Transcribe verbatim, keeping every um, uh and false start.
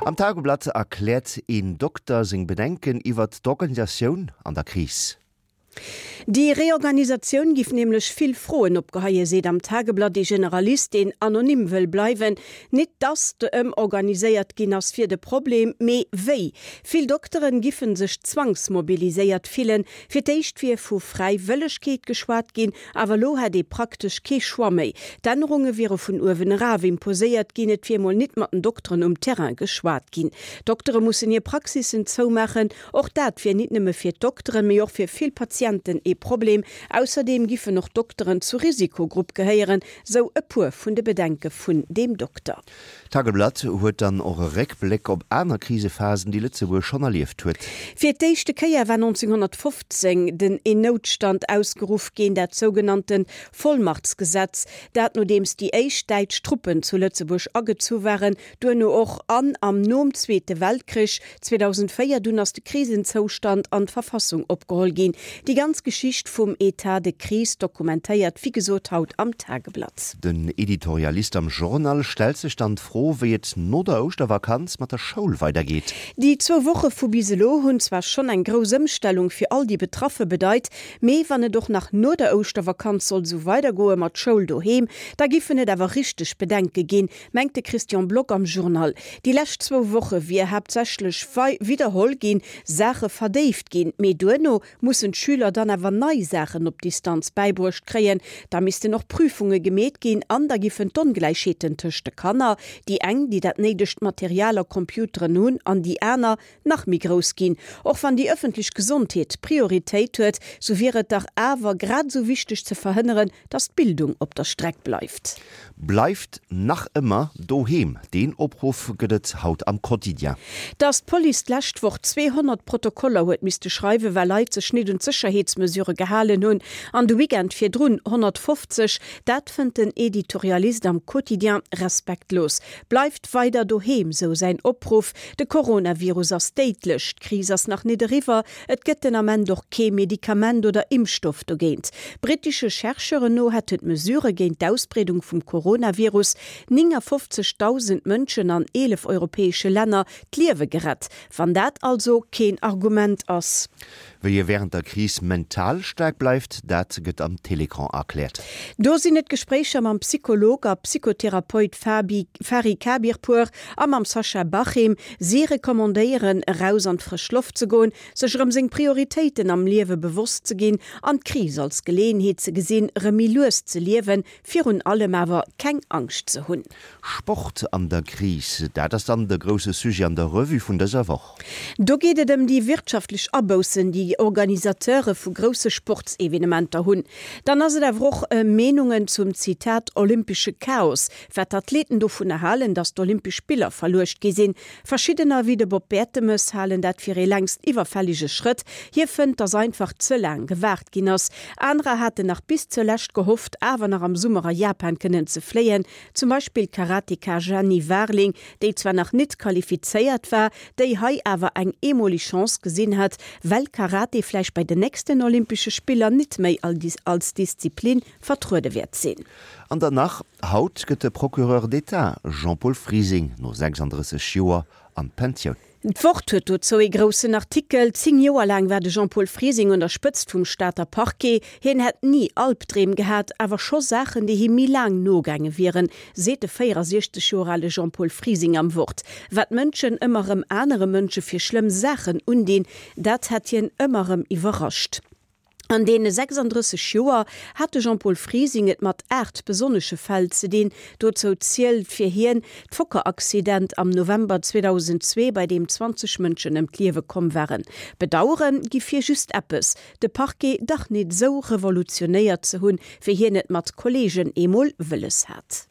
Am Tageblatt erkläert een Dokter seng Bedenken iwwer d'Organisatioun an der Kris. Déi Reorganisatioun giff nämlech vill Froen opgeheien, seet am Tageblatt ee Generalist, deen anonym wëll bleiwen. Nit datt ëmorganiséiert ginn ass wier de Problem, mee wéi. Vill Dokteren giffe sech zwangsmobiliséiert fillen. Fir d'éischt wier vu Fräiwëllegkeet geschwat ginn, awer elo hätt ee praktesch kee Choix méi. D'Ännerunge wiere vun uewen eraf imposéiert ginn, et wier mol nit mat den Dokteren um Terrain geschwat ginn. Doktere mussen hir Praxissen zoumaachen, och dat wier nit nëmme fir d'Dokteren, mee och fir vill Patienten ee Problem. Ausserdeem giffen och Dokteren zur Risikogrupp gehéieren, sou e puer vun de Bedenke vun deem Dokter. D'Tageblatt huet dann och e Réckbléck op aner Krisephasen, déi Lëtzebuerg schonn erlieft huet. Fir d'éischte Kéier war nonzénghonnertfofzéng den een Noutstand ausgeruff ginn, dat sougenannten Vollmachtsgesetz, dat nodeems déi éischt däitsch Truppen zu Lëtzebuerg agezu waren, duerno och an am nom Zweete Weltkrich zweedausendvéier, dunn ass de Krisenzoustand an d'Verfassung opgeholl ginn. Déi ganz Geschicht vum État de crise dokumentéiert wéi gesot haut am Tageblatt. Den Editorialist am Journal stellt sech dann d'Fro, wéi et no der Ouschtervakanz mat der Schoul weidergeet. Déi zwou Woche vu bis elo hunn zwar schonn eng grouss Ëmstellung fir all déi Betraffe bedeit, mee wann et och nach no der Ouschtervakanz sollt esou weidergoe mat Schoul doheem, da giffen et awer richteg Bedenke ginn, mengt de Christian Block am Journal. Déi lescht zwou Woche wier haaptsächlech widderholl ginn, Saache verdéift ginn, mee duerno mussen d'Schüler dann awer nei Saachen op Distanz bäibruecht kréien, da missten och Prüfunge gemeet ginn an da giffen d'Ongläichheeten tëscht de Kanner, déi eng, déi dat néidegt Material a Computeren hunn an déi aner, nach méi grouss ginn. Och wann déi ëffentlech Gesondheet Prioritéit huet, sou wier et dach awer grad esou wichteg ze verhënneren, dass d'Bildung op der Streck bleift. Bleift nach ëmmer doheem, deen Opruff gëtt et haut am Quotidien. Dass d'Police d'lescht Woch zweehonnert Protokoller huet misste schreiwen, well Leit sech nit un d'Sécherheetsmesurë gehalen hunn, an de Weekend virdrun honnertfofzeg, dat fënnt den Editorialist am Quotidien respektlos. Bleift weider doheem, sou säin Opruff. De Coronavirus ass déidlech, d'Kris ass nach nit eriwwer, et gëtt den Ament och kee Medikament oder Impfstoff dogéint. Brittesche Chercheuren no hätten d'Mesurë géint d'Ausbreedung vum Coronavirus néngafofzegdausend Mënschen an eelef europäesche Länner d'Liewe gerett. Wann dat also keen Argument ass. Wéi ee wärend der Kris mental staark bleift, dat gëtt am Télécran erkläert. Do sinn et Gespréicher mam Psycholog a Psychotherapeut Fabi Fari Khabirpour a mam Sascha Bachim. Si recommandéieren, eraus an d'frësch Loft ze goen, sech erëm seng Prioritéiten am Liewe bewosst ze ginn an d'Kris als Geleeënheet ze gesinn, erëm méi lues ze liewen, virun allem awer keng Angscht ze hunn. Sport an der Kris, dat ass dann de grousse Sujet an der Revue vun dëser Woch. Do geet et ëm déi wirtschaftlech Aboussen, déi Organisateure vu grousse Sportsevenementer hunn. Dann ass et awer och ëm Meenungen zum, Zitat, olympesche Chaos, wat d'Athleten dovunner halen, datt d'Olympesch Spiller verluecht gi sinn. Verschiddener, wéi de Bob Bertemes, halen dat fir ee längst iwwerfällege Schrëtt. Hie fënnt, datt einfach ze laang gewaart ginn ass. Anerer haten nach bis zur Lescht gehofft, awer nach am Summer a Japan kënnen ze fléien. Zum Beispill d'Karateka Jeanny Warling, déi zwar nach nit qualifizéiert war, déi hei awer eng eemoleg Chance gesinn hat, well Karate vläicht bei den nächsten Olympesche Spiller nit méi als Disziplin vertruede wäert sinn. An dann nach, Haut gëtt de Procureur d'État Jean-Paul Frising no sechsanddrësseg Joer an d'Pensioun. D'Wort huet dozou ee groussen Artikel. Zéng Joer laang war de Jean-Paul Frising un der Spëtzt vum Stater Parquet. Hien hätt ni Albdreem gehat, awer scho Saachen, déi him méi laang nogaange wieren, seet de véierasiechzeg Joer ale Jean-Paul Frising am Wort. Wat Mënschen ëmmer erëm anere Mënsche fir schlëmm Saachen undinn, dat hätt hien ëmmer erëm iwwerrascht. An deene sechsanddrësseg Joer hat de Jean-Paul Frising et mat aacht besonnesche Fäll ze dinn. Dozou zielt fir hien d'Fokker-Accident am November zweedausendzwee, bei deem zwanzeg Mënschen ëm d'Liewe komm waren. Bedauere giff hie just eppes, de Parquet dach nit esou revolutionéiert ze hunn, wéi hien et mat Kolleegen eemol wëlles hat.